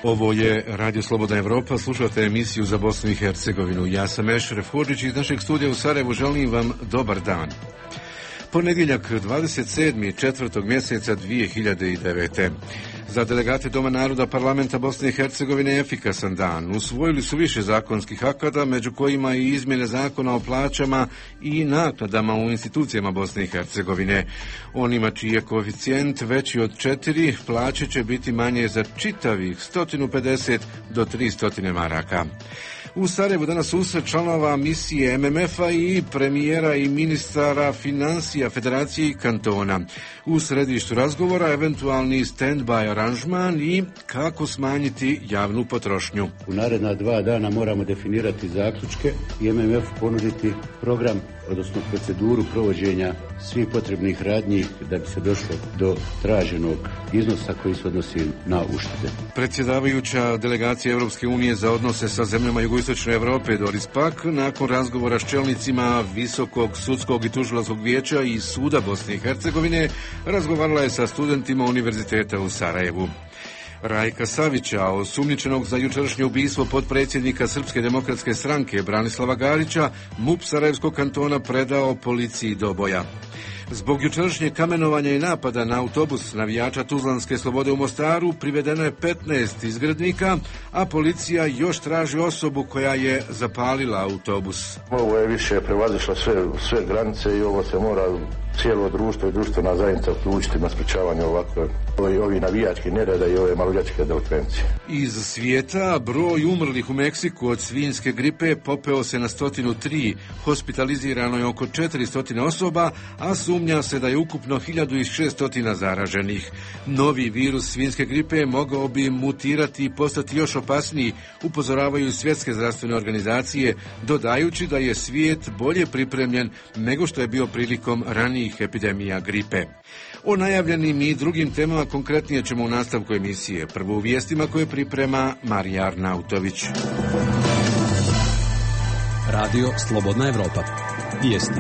Ovo je Radio Slobodna Evropa, slušate emisiju za Bosnu i Hercegovinu. Ja sam Ešref Hodžić iz našeg studija u Sarajevu, želim vam dobar dan. Ponedjeljak 27. 4. mjeseca 2009. Za delegate Doma naroda Parlamenta Bosne i Hercegovine je efikasan dan. Usvojili su više zakonskih akata, među kojima i izmjene zakona o plaćama i naknadama u institucijama Bosne i Hercegovine. Onima čiji je koeficijent veći od 4, plaće će biti manje za čitavih 150 do 300 maraka. U Sarajevu danas susret članova misije MMF-a i premijera i ministara financija Federacije i kantona. U središtu razgovora eventualni stand-by aranžman i kako smanjiti javnu potrošnju. U naredna 2 dana moramo definirati zaključke i MMF ponuditi program, odnosno proceduru provođenja svih potrebnih radnji da bi se došlo do traženog iznosa koji se odnosi na uštede. Predsjedavajuća delegacija Europske unije za odnose sa zemljama jugoistočne Europe Doris Pack nakon razgovora s čelnicima Visokog sudskog i tužilačkog vijeća i Suda Bosne i Hercegovine razgovarala je sa studentima Univerziteta u Sarajevu. Rajka Savića, osumnjičenog za jučerašnje ubistvo potpredsjednika Srpske demokratske stranke Branislava Garića, MUP Sarajevskog kantona predao policiji Doboja. Zbog jučerašnjeg kamenovanja i napada na autobus navijača Tuzlanske Slobode u Mostaru privedeno je 15 izgrednika, a policija još traži osobu koja je zapalila autobus. Ovo je više prevazišlo sve granice i ovo se mora cijelo društvo i društvena zajednica uključiti na sprečavanje ovakve ovi navijački nereda i ove maloljetničke delikvencije. Iz svijeta broj umrlih u Meksiku od svinjske gripe popeo se na 103, hospitalizirano je oko 400 osoba, a sumnja se da je ukupno 1600 zaraženih. Novi virus svinjske gripe mogao bi mutirati i postati još opasniji, upozoravaju svjetske zdravstvene organizacije, dodajući da je svijet bolje pripremljen nego što je bio prilikom ranijih epidemija gripe. O najavljenim i drugim temama konkretnije ćemo u nastavku emisije. Prvo u vijestima koje priprema Marija Arnautović. Radio Slobodna Evropa. Vijesti.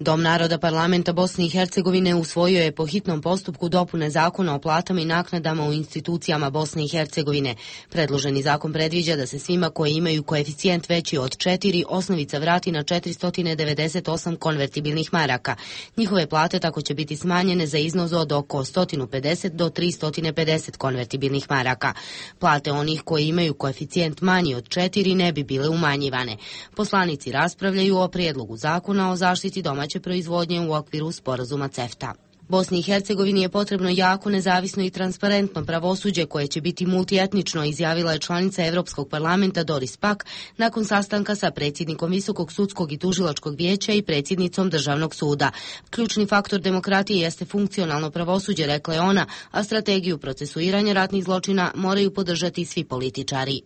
Dom naroda Parlamenta Bosne i Hercegovine usvojio je po hitnom postupku dopune zakona o platama i naknadama u institucijama Bosne i Hercegovine. Predloženi zakon predviđa da se svima koji imaju koeficijent veći od 4 osnovica vrati na 498 konvertibilnih maraka. Njihove plate tako će biti smanjene za iznos od oko 150 do 350 konvertibilnih maraka. Plate onih koji imaju koeficijent manji od 4 ne bi bile umanjivane. Poslanici raspravljaju o prijedlogu zakona o zaštiti domaće proizvodnje u okviru sporazuma CEFTA. Bosni i Hercegovini je potrebno jako, nezavisno i transparentno pravosuđe koje će biti multietnično, izjavila je članica Europskog parlamenta Doris Pack nakon sastanka sa predsjednikom Visokog sudskog i tužilačkog vijeća i predsjednicom Državnog suda. Ključni faktor demokratije jeste funkcionalno pravosuđe, rekla je ona, a strategiju procesuiranja ratnih zločina moraju podržati svi političari.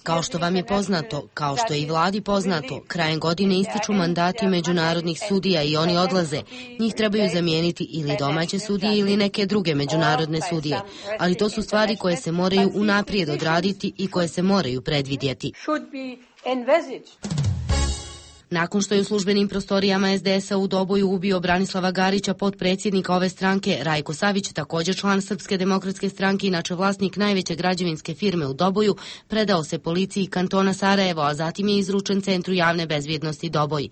Kao što vam je poznato, kao što je i vladi poznato, krajem godine ističu mandati međunarodnih sudija i oni odlaze. Njih trebaju zamijeniti ili domaće sudije ili neke druge međunarodne sudije. Ali to su stvari koje se moraju unaprijed odraditi i koje se moraju predvidjeti. Nakon što je u službenim prostorijama SDS-a u Doboju ubio Branislava Garića, potpredsjednika ove stranke, Rajko Savić, također član Srpske demokratske stranke, inače vlasnik najveće građevinske firme u Doboju, predao se policiji kantona Sarajevo, a zatim je izručen Centru javne bezbjednosti Doboj.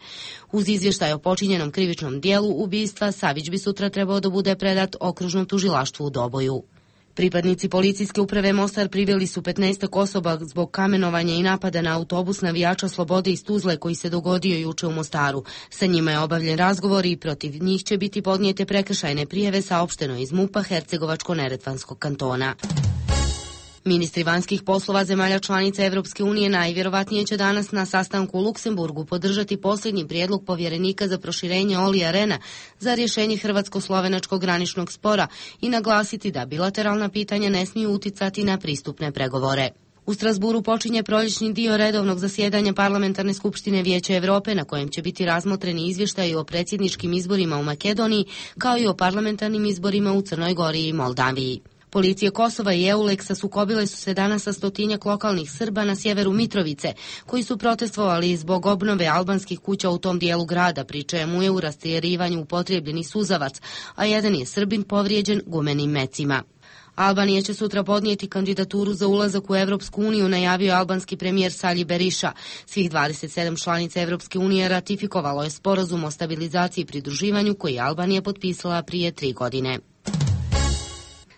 Uz izvještaj o počinjenom krivičnom dijelu ubistva, Savić bi sutra trebao da bude predat okružnom tužilaštvu u Doboju. Pripadnici policijske uprave Mostar priveli su 15 osoba zbog kamenovanja i napada na autobus navijača Slobode iz Tuzle koji se dogodio juče u Mostaru. Sa njima je obavljen razgovor i protiv njih će biti podnijete prekršajne prijave, saopšteno iz MUP-a Hercegovačko-Neretvanskog kantona. Ministri vanjskih poslova zemalja članica Evropske unije najvjerovatnije će danas na sastanku u Luksemburgu podržati posljednji prijedlog povjerenika za proširenje Olija Rehna za rješenje hrvatsko-slovenačkog graničnog spora i naglasiti da bilateralna pitanja ne smiju uticati na pristupne pregovore. U Strasburu počinje proljećni dio redovnog zasjedanja Parlamentarne skupštine Vijeća Europe na kojem će biti razmotreni izvještaji o predsjedničkim izborima u Makedoniji kao i o parlamentarnim izborima u Crnoj Gori i Moldaviji. Policije Kosova i Euleksa sukobile su se danas sa 100-tinjak lokalnih Srba na sjeveru Mitrovice, koji su protestovali zbog obnove albanskih kuća u tom dijelu grada, pri čemu je u rastjerivanju upotrijebljeni suzavac, a jedan je Srbin povrijeđen gumenim mecima. Albanija će sutra podnijeti kandidaturu za ulazak u Evropsku uniju, najavio albanski premijer Sali Beriša. Svih 27 članica Evropske unije ratifikovalo je sporazum o stabilizaciji i pridruživanju koji je Albanija potpisala prije 3 godine.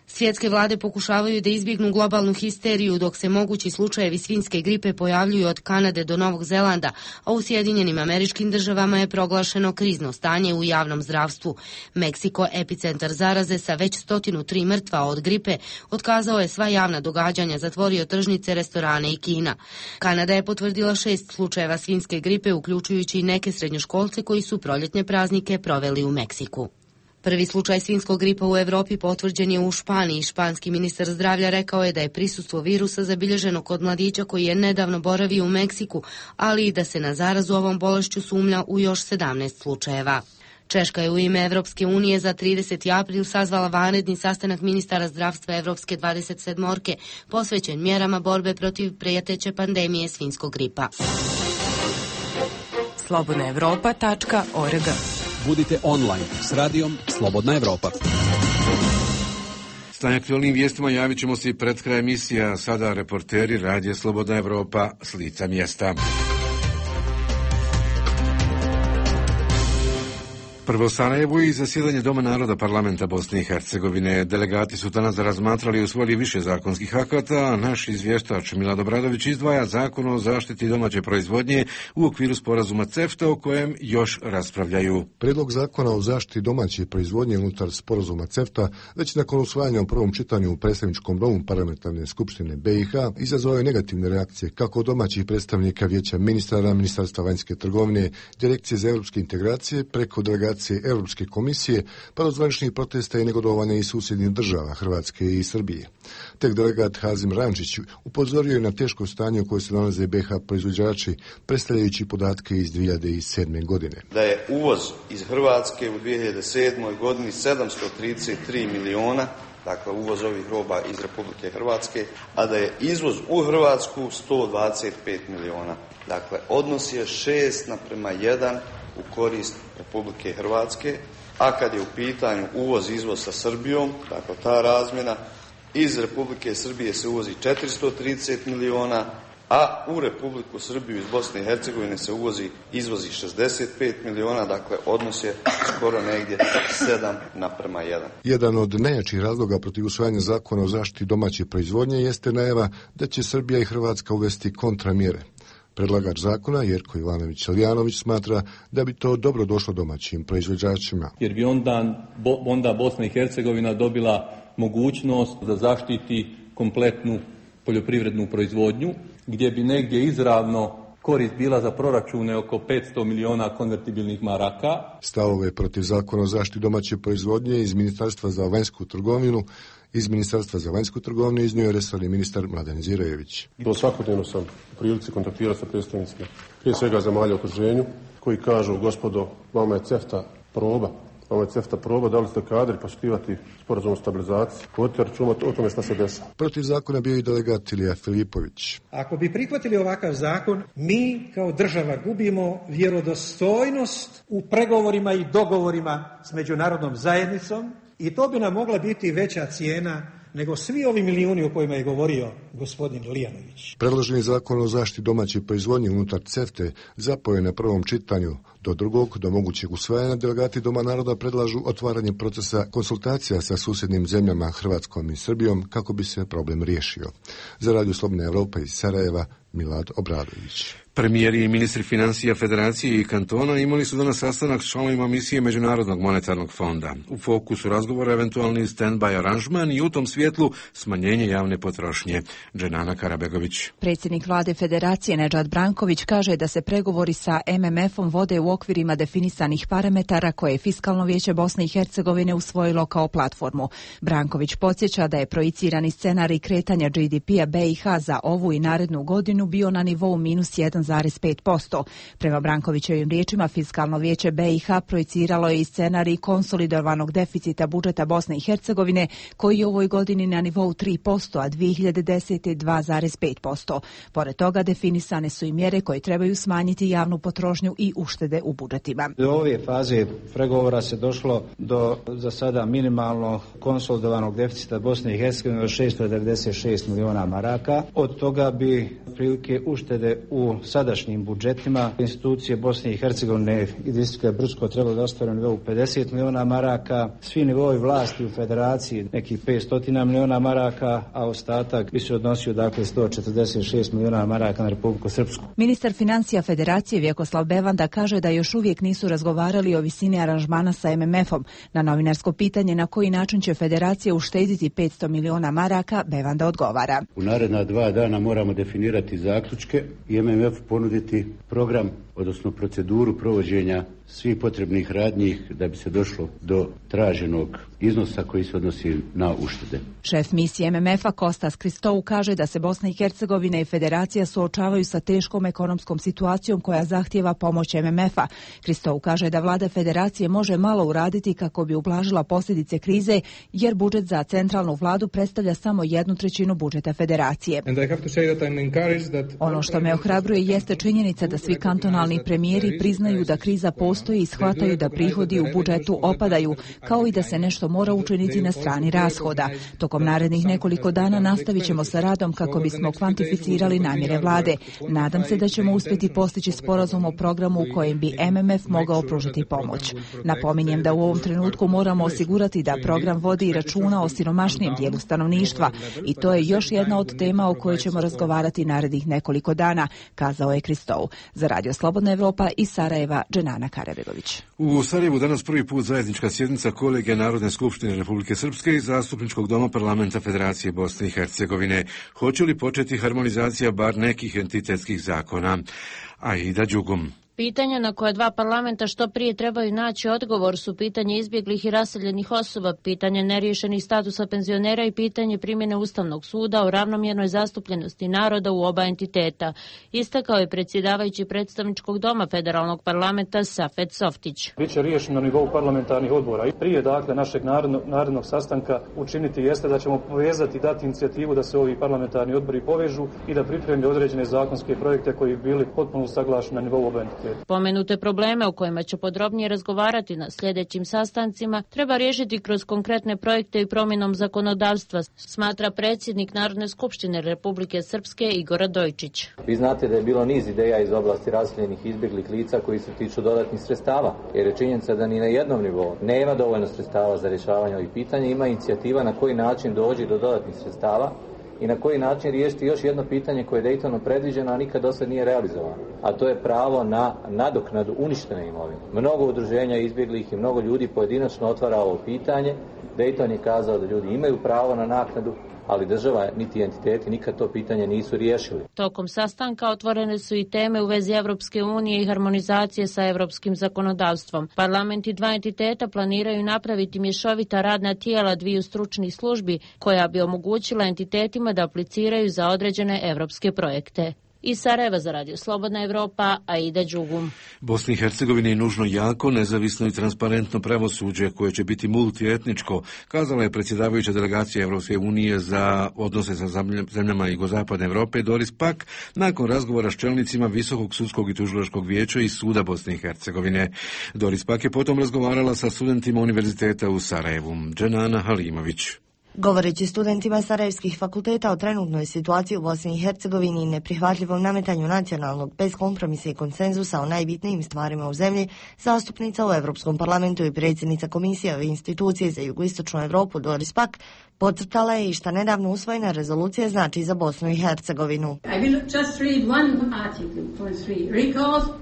Svjetske vlade pokušavaju da izbjegnu globalnu histeriju dok se mogući slučajevi svinjske gripe pojavljuju od Kanade do Novog Zelanda, a u Sjedinjenim Američkim Državama je proglašeno krizno stanje u javnom zdravstvu. Meksiko, epicentar zaraze sa već 103 mrtva od gripe, otkazao je sva javna događanja, zatvorio tržnice, restorane i kina. Kanada je potvrdila 6 slučajeva svinjske gripe, uključujući i neke srednjoškolce koji su proljetne praznike proveli u Meksiku. Prvi slučaj svinjskog gripa u Europi potvrđen je u Španiji. Španski ministar zdravlja rekao je da je prisustvo virusa zabilježeno kod mladića koji je nedavno boravio u Meksiku, ali i da se na zarazu ovom bolešću sumnja u još 17 slučajeva. Češka je u ime Evropske unije za 30. april sazvala vanredni sastanak ministara zdravstva Evropske 27-orke, posvećen mjerama borbe protiv prijeteće pandemije svinjskog gripa. slobodnaevropa.org. Budite online s radijom Slobodna Evropa. Stanje aktualnim vijestima javit ćemo se i pred kraj emisija. Sada reporteri radija Slobodna Evropa s lica mjesta. Prvo Sarajevo i zasjedanje Doma naroda parlamenta Bosne i Hercegovine. Delegati su danas razmatrali i usvojili više zakonskih akata, a naš izvještač Milad Obradović izdvaja zakon o zaštiti domaće proizvodnje u okviru sporazuma CEFTA o kojem još raspravljaju. Prijedlog zakona o zaštiti domaće proizvodnje unutar sporazuma CEFTA već nakon usvajanja u prvom čitanju u predstavničkom domu parlamentarne skupštine BiH izazvao je negativne reakcije kako od domaćih predstavnika vijeća ministara, Ministarstva vanjske trgovine, Direkcije za europske integracije, preko delegacije Europske komisije, pa do zvaničnih protesta i negodovanja iz susjednih država Hrvatske i Srbije. Tek delegat Hazim Rančić upozorio je na teško stanje u kojoj se nalaze BiH proizvođači, predstavljajući podatke iz 2007. godine. Da je uvoz iz Hrvatske u 2007. godini 733 miliona, dakle uvoz ovih roba iz Republike Hrvatske, a da je izvoz u Hrvatsku 125 miliona. Dakle, odnos je 6:1 u korist Republike Hrvatske, a kad je u pitanju uvoz-izvoz sa Srbijom, dakle ta razmjena, iz Republike Srbije se uvozi 430 miliona, a u Republiku Srbiju iz Bosne i Hercegovine se izvozi 65 miliona, dakle odnos je skoro negdje 7:1. Jedan od najjačih razloga protiv usvajanja zakona o zaštiti domaće proizvodnje jeste najava da će Srbija i Hrvatska uvesti kontramjere. Predlagač zakona Jerko Ivanović-Salijanović smatra da bi to dobro došlo domaćim proizvođačima. Jer bi onda Bosna i Hercegovina dobila mogućnost da zaštiti kompletnu poljoprivrednu proizvodnju, gdje bi negdje izravno korist bila za proračune oko 500 miliona konvertibilnih maraka. Stavove protiv zakona o zaštiti domaće proizvodnje iz Ministarstva za vanjsku trgovinu iznio je resorni ministar Mladen Zirojević. Svakodnevno sam u prilici kontaktirati sa predstavnicima prije svega zemalja u okruženju koji kažu: gospodo, vama je CEFTA proba, da li ste kadri poštivati sporazum o stabilizaciji, vodite računa o tome šta se dešava. Protiv zakona bio i delegat Ilija Filipović. Ako bi prihvatili ovakav zakon, mi kao država gubimo vjerodostojnost u pregovorima i dogovorima s međunarodnom zajednicom i to bi nam mogla biti veća cijena nego svi ovi milijuni o kojima je govorio gospodin Lijanović. Predloženi zakon o zaštiti domaće proizvodnje unutar CEFTA zapao je na prvom čitanju. Do mogućeg usvajanja delegati Doma naroda predlažu otvaranje procesa konsultacija sa susjednim zemljama Hrvatskom i Srbijom kako bi se problem riješio. Za Radio Slobodna Evropa iz Sarajeva, Milad Obradović. Premijeri i ministri financija Federacije i kantona imali su danas sastanak s članovima misije Međunarodnog monetarnog fonda. U fokusu razgovora eventualni stand-by aranžman i u tom svjetlu smanjenje javne potrošnje. Dženana Karabegović. Predsjednik vlade Federacije Nedžad Branković kaže da se pregovori sa MMF-om vode u okvirima definisanih parametara koje je Fiskalno vijeće Bosne i Hercegovine usvojilo kao platformu. Branković podsjeća da je projicirani scenarij kretanja GDP-a BiH za ovu i narednu godinu bio na nivou -1,5%. 1,5%. Prema Brankovićevim riječima, Fiskalno vijeće BiH projiciralo je i scenarij konsolidovanog deficita budžeta Bosne i Hercegovine, koji je u ovoj godini na nivou 3%, a 2010. 2,5%. Pored toga definisane su i mjere koje trebaju smanjiti javnu potrošnju i uštede u budžetima. Do ove faze pregovora se došlo do za sada minimalno konsolidovanog deficita Bosne i Hercegovine od 696 miliona maraka. Od toga bi prilike uštede u sadašnjim budžetima institucije Bosne i Hercegovine i distrikta Brčko trebalo da ostvare na nivou 50 miliona maraka, svi nivoi vlasti u federaciji nekih 500 miliona maraka, a ostatak bi se odnosio dakle 146 miliona maraka na Republiku Srpsku. Ministar financija Federacije Vjekoslav Bevanda kaže da još uvijek nisu razgovarali o visini aranžmana sa MMF-om. Na novinarsko pitanje na koji način će Federacija uštediti 500 miliona maraka, Bevanda odgovara. U naredna 2 dana moramo definirati zaključke i MMF ponuditi program, odnosno proceduru provođenja svih potrebnih radnji da bi se došlo do traženog iznosa koji se odnosi na uštede. Šef misije MMF-a Kostas Kristou kaže da se Bosna i Hercegovina i Federacija suočavaju sa teškom ekonomskom situacijom koja zahtijeva pomoć MMF-a. Kristou kaže da vlada Federacije može malo uraditi kako bi ublažila posljedice krize, jer budžet za centralnu vladu predstavlja samo 1/3 budžeta Federacije. Ono što me ohrabruje jeste činjenica da svi kantonalni premijeri priznaju da kriza postoji i shvataju da prihodi u budžetu opadaju, kao i da se nešto mora učiniti na strani rashoda. Tokom narednih nekoliko dana nastavit ćemo sa radom kako bismo kvantificirali namjere vlade. Nadam se da ćemo uspjeti postići sporazum o programu u kojem bi MMF mogao pružiti pomoć. Napominjem da u ovom trenutku moramo osigurati da program vodi računa o siromašnijem dijelu stanovništva i to je još jedna od tema o kojoj ćemo razgovarati narednih nekoliko dana, kazao je Kristou. Za Radio Slobodna Evropa iz Sarajeva, Dženana Karabegović. U Sarajevu danas prvi put zajednička sjednica kolegija Narodne skupštine Republike Srpske i Zastupničkog doma parlamenta Federacije Bosne i Hercegovine. Hoće li početi harmonizacija bar nekih entitetskih zakona? Aida Đugum. Pitanja na koje dva parlamenta što prije trebaju naći odgovor su pitanje izbjeglih i raseljenih osoba, pitanje neriješenih statusa penzionera i pitanje primjene Ustavnog suda o ravnomjernoj zastupljenosti naroda u oba entiteta, istakao je predsjedavajući predstavničkog doma federalnog parlamenta Safet Softić. Biće riješeno na nivou parlamentarnih odbora i prije našeg narednog sastanka učiniti jeste da ćemo povezati, dati inicijativu da se ovi parlamentarni odbori povežu i da pripremi određene zakonske projekte koji bi bili potpuno usaglašeni na nivou oba entiteta. Pomenute probleme o kojima će podrobnije razgovarati na sljedećim sastancima treba riješiti kroz konkretne projekte i promjenom zakonodavstva, smatra predsjednik Narodne skupštine Republike Srpske Igor Radojčić. Vi znate da je bilo niz ideja iz oblasti raseljenih izbjeglih lica koji se tiču dodatnih sredstava, jer je činjenica da ni na jednom nivou nema dovoljno sredstava za rješavanje ovih pitanja, ima inicijativa na koji način doći do dodatnih sredstava i na koji način riješiti još jedno pitanje koje je Daytonom predviđeno, a nikad do sad nije realizovano. A to je pravo na nadoknadu uništene imovine. Mnogo udruženja izbjeglih i mnogo ljudi pojedinačno otvara ovo pitanje. Dayton je kazao da ljudi imaju pravo na naknadu, ali država niti entiteti nikad to pitanje nisu riješili. Tokom sastanka otvorene su i teme u vezi Evropske unije i harmonizacije sa evropskim zakonodavstvom. Parlamenti dva entiteta planiraju napraviti mješovita radna tijela dviju stručnih službi koja bi omogućila entitetima da apliciraju za određene evropske projekte. Iz Sarajeva za Radio Slobodna Evropa, Aida Đugum. Bosni i Hercegovini je nužno jako, nezavisno i transparentno pravosuđe koje će biti multietničko, kazala je predsjedavajuća delegacija Evropske unije za odnose sa zemljama jugozapadne Evrope Doris Pack nakon razgovora s čelnicima Visokog sudskog i tužilačkog vijeća i Suda Bosne i Hercegovine. Doris Pack je potom razgovarala sa studentima univerziteta u Sarajevu. Dženana Halimović. Govoreći studentima sarajevskih fakulteta o trenutnoj situaciji u Bosni i Hercegovini i neprihvatljivom nametanju nacionalnog bez kompromisa i konsenzusa o najbitnijim stvarima u zemlji, zastupnica u Europskom parlamentu i predsjednica Komisije ove institucije za jugoistočnu Europu Doris Pack podcrtala je i šta nedavno usvojena rezolucija znači za Bosnu i Hercegovinu.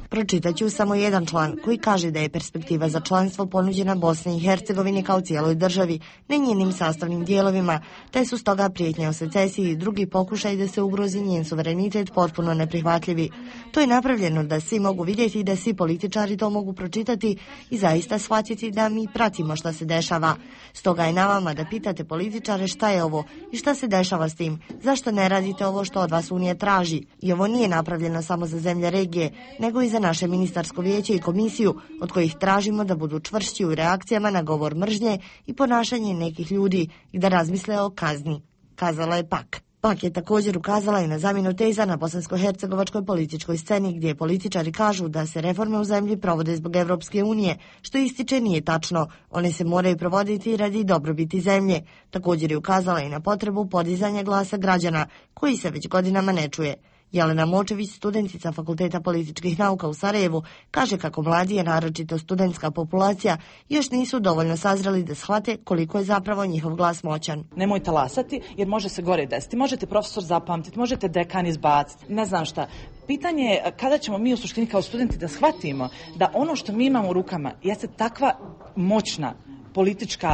Pročitaću samo jedan član koji kaže da je perspektiva za članstvo ponuđena Bosni i Hercegovini kao cijeloj državi, ne njenim sastavnim dijelovima, te su stoga prijetnje o secesiji i drugi pokušaj da se ugrozi njen suverenitet potpuno neprihvatljivi. To je napravljeno da svi mogu vidjeti i da svi političari to mogu pročitati i zaista shvatiti da mi pratimo šta se dešava. Stoga je na vama da pitate političare političare šta je ovo i šta se dešava s tim, zašto ne radite ovo što od vas Unija traži. I ovo nije napravljeno samo za zemlje regije, nego i za naše ministarsko vijeće i komisiju, od kojih tražimo da budu čvršći u reakcijama na govor mržnje i ponašanje nekih ljudi i da razmisle o kazni, kazala je Pak. Pak je također ukazala i na zamjenu teza na bosansko-hercegovačkoj političkoj sceni, gdje političari kažu da se reforme u zemlji provode zbog Evropske unije, što ističe nije tačno. One se moraju provoditi radi dobrobiti zemlje. Također je ukazala i na potrebu podizanja glasa građana, koji se već godinama ne čuje. Jelena Močević, studentica Fakulteta političkih nauka u Sarajevu, kaže kako mladi, a naročito studentska populacija, još nisu dovoljno sazreli da shvate koliko je zapravo njihov glas moćan. Nemojte lasati jer može se gore desiti. Možete profesor zapamtiti, možete dekan izbaciti, ne znam šta. Pitanje je kada ćemo mi u suštini kao studenti da shvatimo da ono što mi imamo u rukama jeste takva moćna politička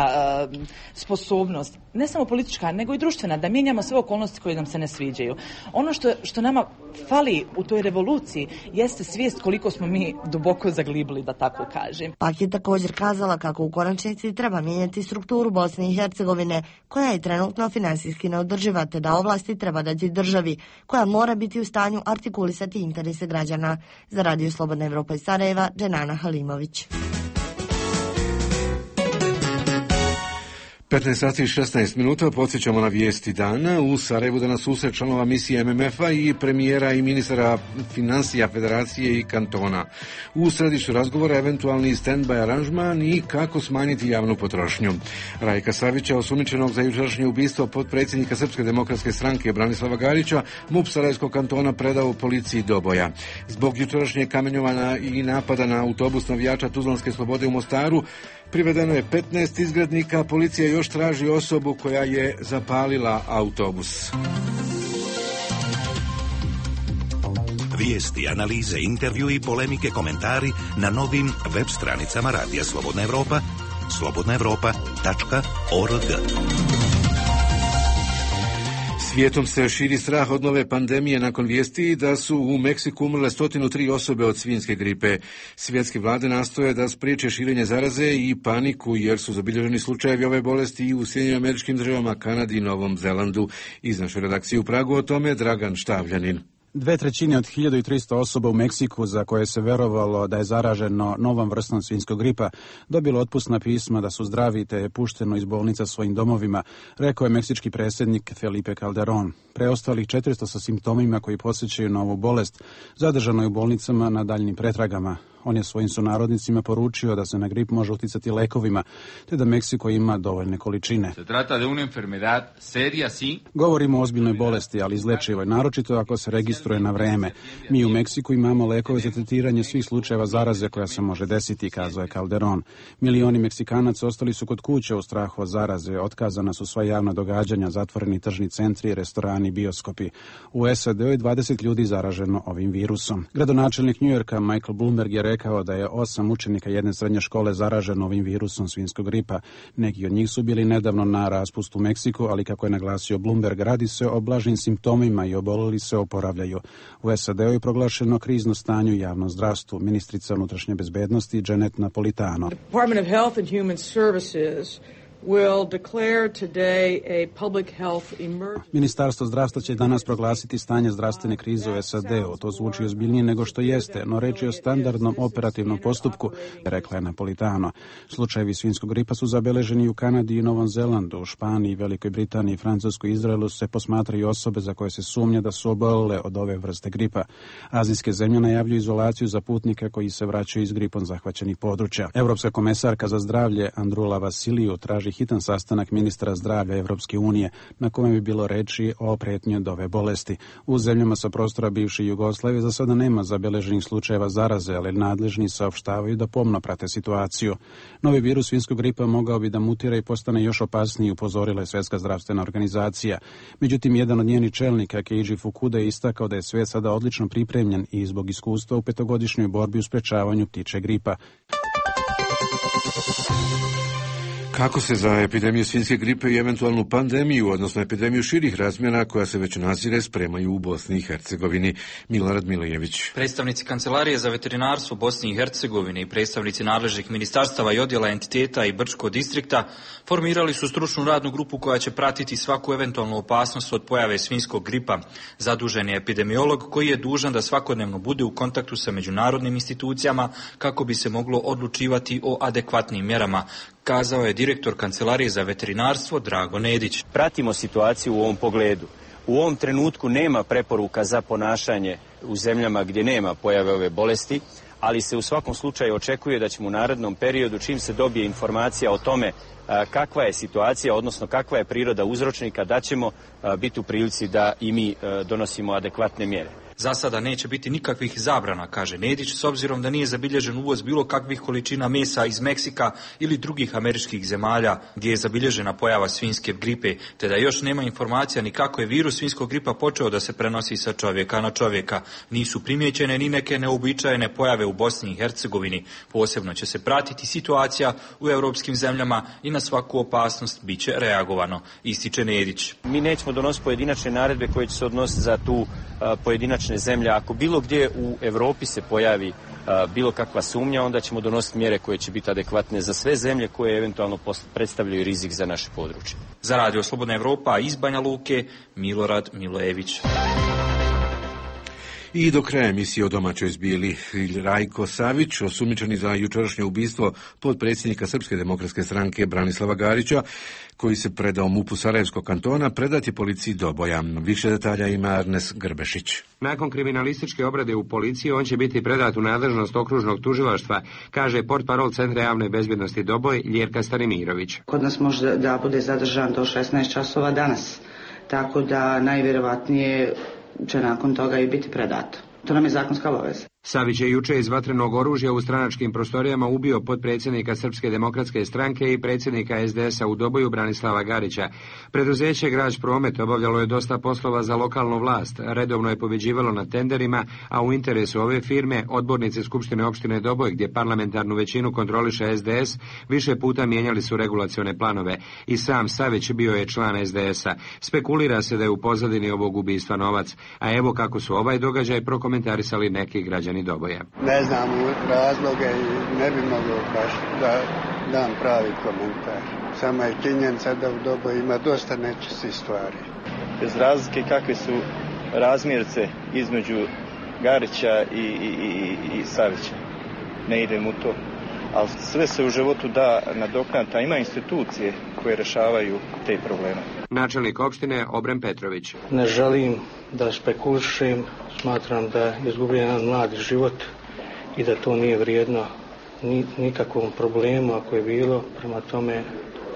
sposobnost, ne samo politička, nego i društvena, da mijenjamo sve okolnosti koje nam se ne sviđaju. Ono što nama fali u toj revoluciji jeste svijest koliko smo mi duboko zaglibili, da tako kažem. Pak je također kazala kako u konačnici treba mijenjati strukturu Bosne i Hercegovine, koja je trenutno finansijski neodrživa, te da ovlasti treba dati državi, koja mora biti u stanju artikulisati interese građana. Za Radio Slobodna Evropa iz Sarajeva, Dženana Halimović. 15 sati i 16 minuta, podsjećamo na vijesti dana. U Sarajevu danas susret članova misije MMF-a i premijera i ministra financija Federacije i kantona. U središtu razgovora eventualni stand-by aranžman i kako smanjiti javnu potrošnju. Rajka Savića, osumnjičenog za jučerašnje ubistvo potpredsjednika Srpske demokratske stranke Branislava Garića, MUP Sarajevskog kantona predao policiji Doboja. Zbog jučerašnje kamenjovanja i napada na autobus navijača Tuzlanske slobode u Mostaru, privedeno je 15 izgrednika, policija još traži osobu koja je zapalila autobus. Vijesti, analize, intervju i polemike, komentari na novim web stranicama Radija Slobodna Evropa, slobodnaevropa.org. Svijetom se širi strah od nove pandemije nakon vijesti da su u Meksiku umrle 103 osobe od svinjske gripe. Svjetske vlade nastoje da spriječe širenje zaraze i paniku jer su zabilježeni slučajevi ove bolesti i u Sjedinjenim Američkim Državama, Kanadi i Novom Zelandu. Iz naše redakcije u Pragu o tome Dragan Štavljanin. 2/3 od 1300 osoba u Meksiku za koje se verovalo da je zaraženo novom vrstom svinjskog gripa dobilo otpusna pisma da su zdravi te je pušteno iz bolnica svojim domovima, rekao je meksički predsjednik Felipe Calderón. Preostalih 400 sa simptomima koji podsjećaju na ovu bolest zadržano je u bolnicama na daljnim pretragama. On je svojim sunarodnicima poručio da se na grip može uticati lekovima, te da Meksiko ima dovoljne količine. Govorimo o ozbiljnoj bolesti, ali izlečivoj, naročito ako se registruje na vreme. Mi u Meksiku imamo lekove za tretiranje svih slučajeva zaraze koja se može desiti, kazao je Calderón. Milioni Meksikanaca ostali su kod kuće u strahu od zaraze, otkazana su sva javna događanja, zatvoreni tržni centri, restorani, bioskopi. U SAD-u je 20 ljudi zaraženo ovim virusom. Gradonačelnik Njujorka Michael Bloomberg je rekao da je 8 učenika jedne srednje škole zaraženo ovim virusom svinjskog gripa. Neki od njih su bili nedavno na raspustu u Meksiku, ali kako je naglasio Bloomberg, radi se o blažim simptomima i oboleli se oporavljaju. U SAD-u je proglašeno krizno stanje u javnom zdravstvu. Ministrica unutrašnje bezbednosti Janet Napolitano. Department of Health and Human Services will declare today a public health emergency. Ministarstvo zdravstva će danas proglasiti stanje zdravstvene krize u SAD-u. To zvuči ozbiljnije nego što jeste, no reč je o standardnom operativnom postupku, rekla je Napolitano. Slučajevi svinjskog gripa su zabeleženi u Kanadi i Novom Zelandu, u Španiji, Velikoj Britaniji, Francuskoj i Izraelu se posmatraju osobe za koje se sumnja da su obolele od ove vrste gripa. Azijske zemlje najavljuju izolaciju za putnike koji se vraćaju iz gripom zahvaćenih područja. Europska komesarka za zdravlje Andrula Vasiliju traži hitan sastanak ministra zdravlja Evropske unije na kojem bi bilo reči o pretnji od ove bolesti. U zemljama sa prostora bivše Jugoslavije za sada nema zabeleženih slučajeva zaraze, ali nadležni saopštavaju da pomno prate situaciju. Novi virus svinjskog gripa mogao bi da mutira i postane još opasniji, upozorila je Svjetska zdravstvena organizacija. Međutim, jedan od njenih čelnika, Keiji Fukuda, je istakao da je svijet sada odlično pripremljen i zbog iskustva u 5-godišnjoj borbi u sprečavanju ptičje gripa. Kako se za epidemiju svinjske gripe i eventualnu pandemiju, odnosno epidemiju širih razmjera koja se već nazire, spremaju u Bosni i Hercegovini? Milorad Milojević. Predstavnici Kancelarije za veterinarstvo Bosne i Hercegovine i predstavnici nadležnih ministarstava i odjela entiteta i Brčkog distrikta formirali su stručnu radnu grupu koja će pratiti svaku eventualnu opasnost od pojave svinjskog gripa. Zadužen je epidemiolog koji je dužan da svakodnevno bude u kontaktu sa međunarodnim institucijama kako bi se moglo odlučivati o adekvatnim mjerama, kazao je direktor Kancelarije za veterinarstvo Drago Nedić. Pratimo situaciju u ovom pogledu. U ovom trenutku nema preporuka za ponašanje u zemljama gdje nema pojave ove bolesti, ali se u svakom slučaju očekuje da ćemo u narednom periodu, čim se dobije informacija o tome kakva je situacija, odnosno kakva je priroda uzročnika, da ćemo biti u prilici da i mi donosimo adekvatne mjere. Za sada neće biti nikakvih zabrana, kaže Nedić, s obzirom da nije zabilježen uvoz bilo kakvih količina mesa iz Meksika ili drugih američkih zemalja gdje je zabilježena pojava svinjske gripe, te da još nema informacija ni kako je virus svinjskog gripa počeo da se prenosi sa čovjeka na čovjeka. Nisu primijećene ni neke neuobičajene pojave u Bosni i Hercegovini. Posebno će se pratiti situacija u europskim zemljama i na svaku opasnost bit će reagovano, ističe Nedić. Mi nećemo donositi pojedinačne naredbe koje će se odnositi za tu pojedinačne zemlje. Ako bilo gdje u Europi se pojavi bilo kakva sumnja, onda ćemo donositi mjere koje će biti adekvatne za sve zemlje koje eventualno predstavljaju rizik za naše područje. Za Radio Slobodna Evropa iz Banja Luke, Milorad Milojević. I do kraja emisije o domaćoj zbili. Rajko Savić, osumnjičeni za jučerašnje ubistvo potpredsjednika Srpske demokratske stranke Branislava Garića, koji se predao MUP-u Sarajevskog kantona, predat je policiji Doboja. Više detalja ima Arnes Grbešić. Nakon kriminalističke obrade u policiji, on će biti predat u nadležnost okružnog tužilaštva, kaže portparol Centra javne bezbjednosti Doboj, Ljerka Stanimirović. Kod nas može da bude zadržan do 16 časova danas, tako da najvjerovatnije će nakon toga i biti predato. To nam je zakonska obaveza. Savić je juče iz vatrenog oružja u stranačkim prostorijama ubio potpredsjednika Srpske demokratske stranke i predsjednika SDS-a u Doboju Branislava Garića. Preduzeće Građ Promet obavljalo je dosta poslova za lokalnu vlast, redovno je pobjeđivalo na tenderima, a u interesu ove firme odbornici Skupštine opštine Doboj, gdje parlamentarnu većinu kontroliše SDS, više puta mijenjali su regulacione planove. I sam Savić bio je član SDS-a. Spekulira se da je u pozadini ovog ubistva novac, a evo kako su ovaj događaj prokomentarisali neki građani Doboja. Ne znam razloge i ne bi mogao baš da dam pravi komentar. Sama je činjenica da u Doboju ima dosta nečistih stvari. Bez razlike kakve su razmjerce između Garića i Savića. Ne idem u to. Ali sve se u životu da nadoknaditi, a ima institucije koje rješavaju te probleme. Načelnik opštine Obren Petrović. Ne želim da spekulišem, smatram da je izgubljen jedan mladi život i da to nije vrijedno nikakvom problemu ako je bilo, prema tome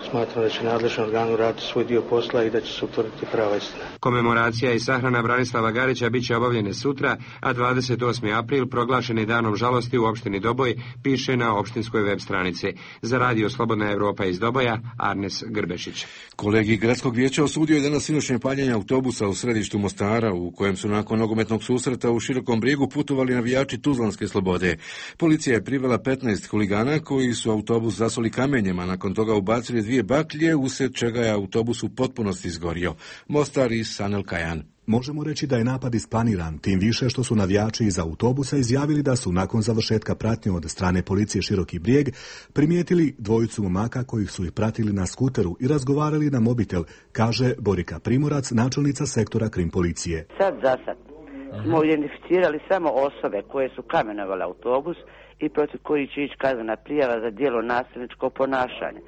smatram da će nadležni organ uraditi svoj dio posla i da će se utvrditi prava istina. Komemoracija i sahrana Branislava Garića bit će obavljene sutra, a 28. april proglašen je danom žalosti u opštini Doboj, piše na opštinskoj web stranici. Za Radio Slobodna Evropa iz Doboja, Arnes Grbešić. Kolegi Gradskog vijeća osudio je danas sinoćnje paljenje autobusa u središtu Mostara, u kojem su nakon nogometnog susreta u Širokom Brijegu putovali navijači Tuzlanske Slobode. Policija je privela 15 huligana koji su autobus zasuli kamenjem, a nakon toga ubacili 2 baklje, usred čega je autobus u potpunosti izgorio. Mostar i Sanel Kajan. Možemo reći da je napad isplaniran, tim više što su navijači iz autobusa izjavili da su nakon završetka pratnje od strane policije Široki Brijeg primijetili dvojicu momaka kojih su ih pratili na skuteru i razgovarali na mobitel, kaže Borika Primorac, načelnica sektora krim policije. Sad za sad smo identificirali samo osobe koje su kamenovale autobus i protiv kojih će ići kaznena prijava za djelo nasilničkog ponašanja.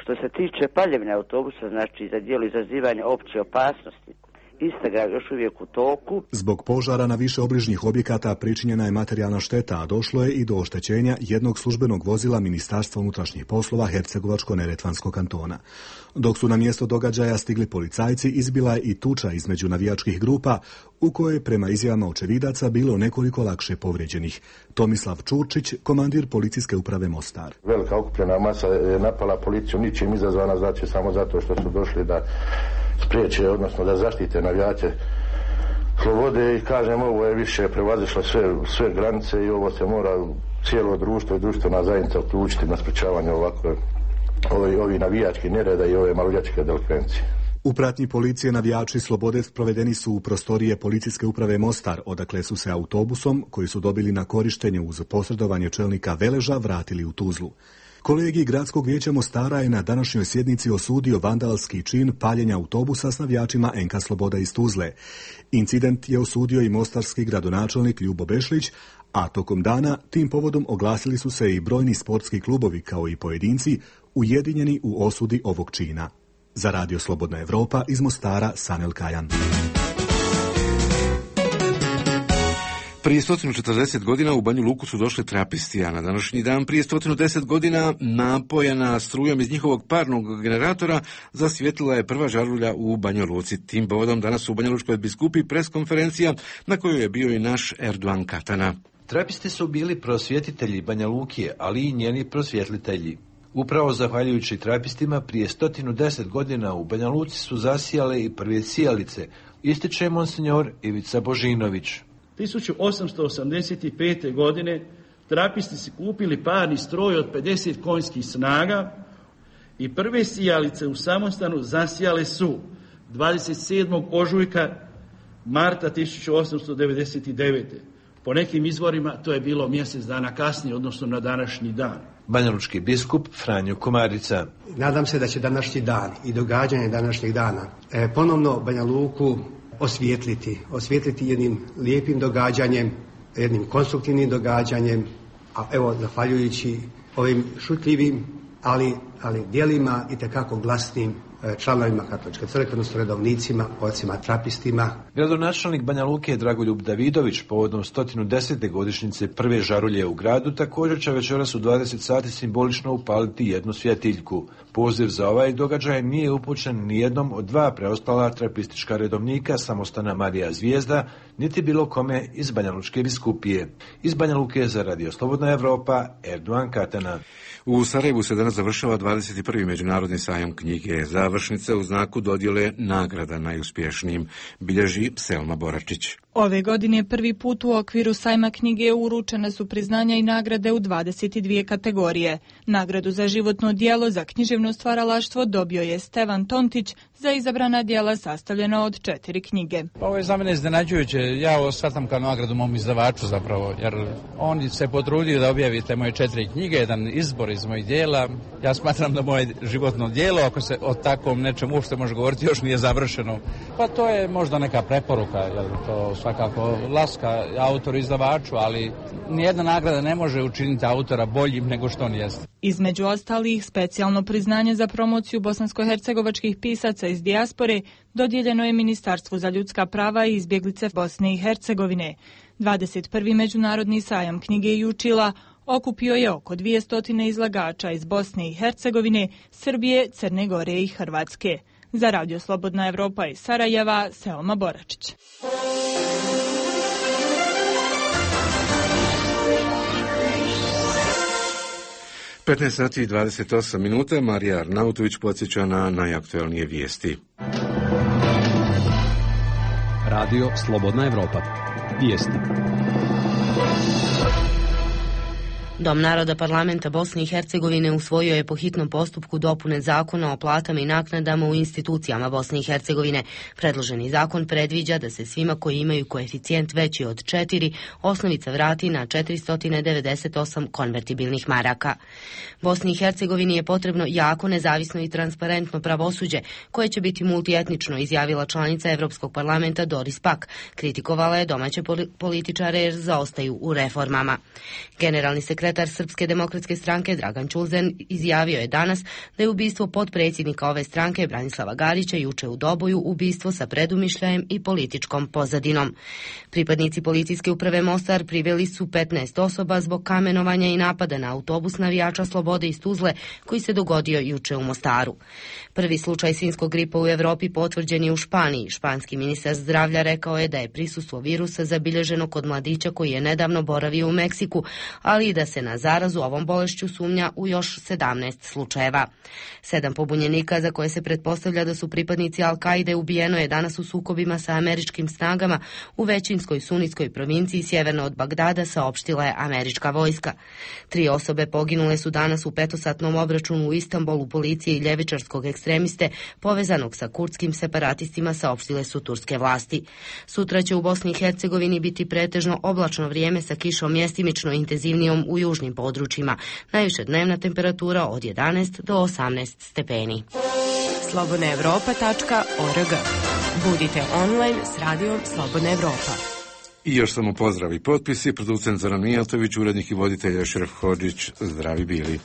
Što se tiče paljenja autobusa, znači za djelo izazivanja opće opasnosti, istraga je još uvijek u toku. Zbog požara na više obližnjih objekata pričinjena je materijalna šteta, a došlo je i do oštećenja jednog službenog vozila Ministarstva unutrašnjih poslova Hercegovačko-neretvanskog kantona. Dok su na mjesto događaja stigli policajci, izbila je i tuča između navijačkih grupa, u kojoj prema izjavama očevidaca bilo nekoliko lakše povrijeđenih. Tomislav Čurčić, komandir policijske uprave Mostar. Velika okupljena masa je napala policiju, ničim izazvana, znači samo zato što su došli da spriječe, odnosno da zaštite navijače Slobode i kažem, ovo je više prevazišlo sve granice i ovo se mora cijelo društvo i društvena zajednica uključiti na sprečavanje ovakve ovi navijački nereda i ove maloljetničke delikvencije. U pratnji policije navijači Slobode sprovedeni su u prostorije policijske uprave Mostar, odakle su se autobusom, koji su dobili na korištenje uz posredovanje čelnika Veleža, vratili u Tuzlu. Kolegij Gradskog vijeća Mostara je na današnjoj sjednici osudio vandalski čin paljenja autobusa s navijačima NK Sloboda iz Tuzle. Incident je osudio i mostarski gradonačelnik Ljubo Bešlić, a tokom dana tim povodom oglasili su se i brojni sportski klubovi kao i pojedinci ujedinjeni u osudi ovog čina. Za Radio Slobodna Evropa iz Mostara, Sanel Kajan. Prije 140 godina u Banju Luku su došli trapisti, a na današnji dan prije 110 godina napojena strujom iz njihovog parnog generatora zasvijetlila je prva žarulja u Banju Luci. Tim povodom danas u Banja Lučkoj biskupiji preskonferencija na kojoj je bio i naš Erdogan Katana. Trapisti su bili prosvjetitelji Banja Luke, ali i njeni prosvjetlitelji. Upravo zahvaljujući trapistima prije 110 godina u Banja Luci su zasijale i prve sijalice, ističe monsinjor Ivica Božinović. 1885. godine trapisti su kupili parni stroj od 50 konjskih snaga i prve sijalice u samostanu zasijale su 27. ožujka marta 1899. Po nekim izvorima to je bilo mjesec dana kasnije, odnosno na današnji dan. Banjalučki biskup Franjo Komarica. Nadam se da će današnji dan i događanje današnjeg dana ponovno Banja Luku osvijetliti jednim lijepim događanjem, jednim konstruktivnim događanjem, a evo zahvaljujući ovim šutljivim, ali dijelima i tekako glasnim članovima Katoličke crkve, odnosno redovnicima, ocima trapistima. Gradonačelnik Banja Luke Dragoljub Davidović povodom 110. godišnjice prve žarulje u gradu također će večeras u 20 sati simbolično upaliti jednu svjetiljku. Poziv za ovaj događaj nije upućen ni jednom od dva preostala trapistička redovnika samostana Marija Zvijezda, niti bilo kome iz Banja Lučke biskupije. Iz Banja Luke za Radio Slobodna Evropa, Erdogan Katana. U Sarajevu se danas završava 21. međunarodni sajam knjige. Završnice u znaku dodjele nagrada najuspješnijim, bilježi Selma Boračić. Ove godine prvi put u okviru sajma knjige uručene su priznanja i nagrade u 22 kategorije. Nagradu za životno djelo za književno stvaralaštvo dobio je Stevan Tontić za izabrana djela sastavljena od 4 knjige. Ovo je za mene iznenađujuće. Ja ovo shvatam kao nagradu mom izdavaču zapravo, jer on se potrudio da objavite moje 4 knjige, jedan izbor iz mojih djela. Ja smatram da moje životno djelo, ako se o takvom nečem uopšte može govoriti, još nije završeno. Pa to je možda neka preporuka, jer to svakako laska autoru izdavaču, ali nijedna nagrada ne može učiniti autora boljim nego što on jeste. Između ostalih, specijalno priznanje za promociju bosansko-hercegovačkih pisaca iz dijaspore dodijeljeno je Ministarstvu za ljudska prava i izbjeglice Bosne i Hercegovine. 21. međunarodni sajam knjige i učila okupio je oko 200 izlagača iz Bosne i Hercegovine, Srbije, Crne Gore i Hrvatske. Za Radio Slobodna Evropa iz Sarajeva, Selma Boračić. sati i 28 minuta, Marija Arnautović podsjeća na najaktualnije vijesti. Radio Slobodna Evropa. Vijesti. Dom naroda parlamenta Bosne i Hercegovine usvojio je po hitnom postupku dopune zakona o platama i naknadama u institucijama Bosne i Hercegovine. Predloženi zakon predviđa da se svima koji imaju koeficijent veći od 4 osnovica vrati na 498 konvertibilnih maraka. Bosni i Hercegovini je potrebno jako, nezavisno i transparentno pravosuđe koje će biti multietnično, izjavila članica Evropskog parlamenta Doris Pack. Kritikovala je domaće političare jer zaostaju u reformama. Generalni sekretar Srpske demokratske stranke Dragan Čulzen izjavio je danas da je ubistvo potpredsjednika ove stranke Branislava Garića juče u Doboju ubistvo sa predumišljajem i političkom pozadinom. Pripadnici policijske uprave Mostar priveli su 15 osoba zbog kamenovanja i napada na autobus navijača Slobode iz Tuzle koji se dogodio juče u Mostaru. Prvi slučaj svinjskog gripa u Evropi potvrđen je u Španiji. Španski ministar zdravlja rekao je da je prisustvo virusa zabilježeno kod mladića koji je nedavno boravio u Meksiku, ali i da se se na zarazu ovom bolešću sumnja u još 17 slučajeva. 7 pobunjenika za koje se pretpostavlja da su pripadnici Al-Kaide ubijeno je danas u sukobima sa američkim snagama u većinskoj sunitskoj provinciji sjeverno od Bagdada, saopštila je američka vojska. 3 osobe poginule su danas u 5-satnom obračunu u Istanbulu policije i ljevičarskog ekstremiste povezanog sa kurdskim separatistima, saopštile su turske vlasti. Sutra će u Bosni i Hercegovini biti pretežno oblačno vrijeme sa kišom mjestimično intenzivnijom u južnim područjima. Najviše dnevna temperatura od 11 do 18 stepeni. slobodnaevropa.org. Budite online s radijom Slobodna Evropa. I još samo pozdrav i potpisi, producent Zoran Mijatović, urednik i voditelj Šeref Hodžić, zdravi bili.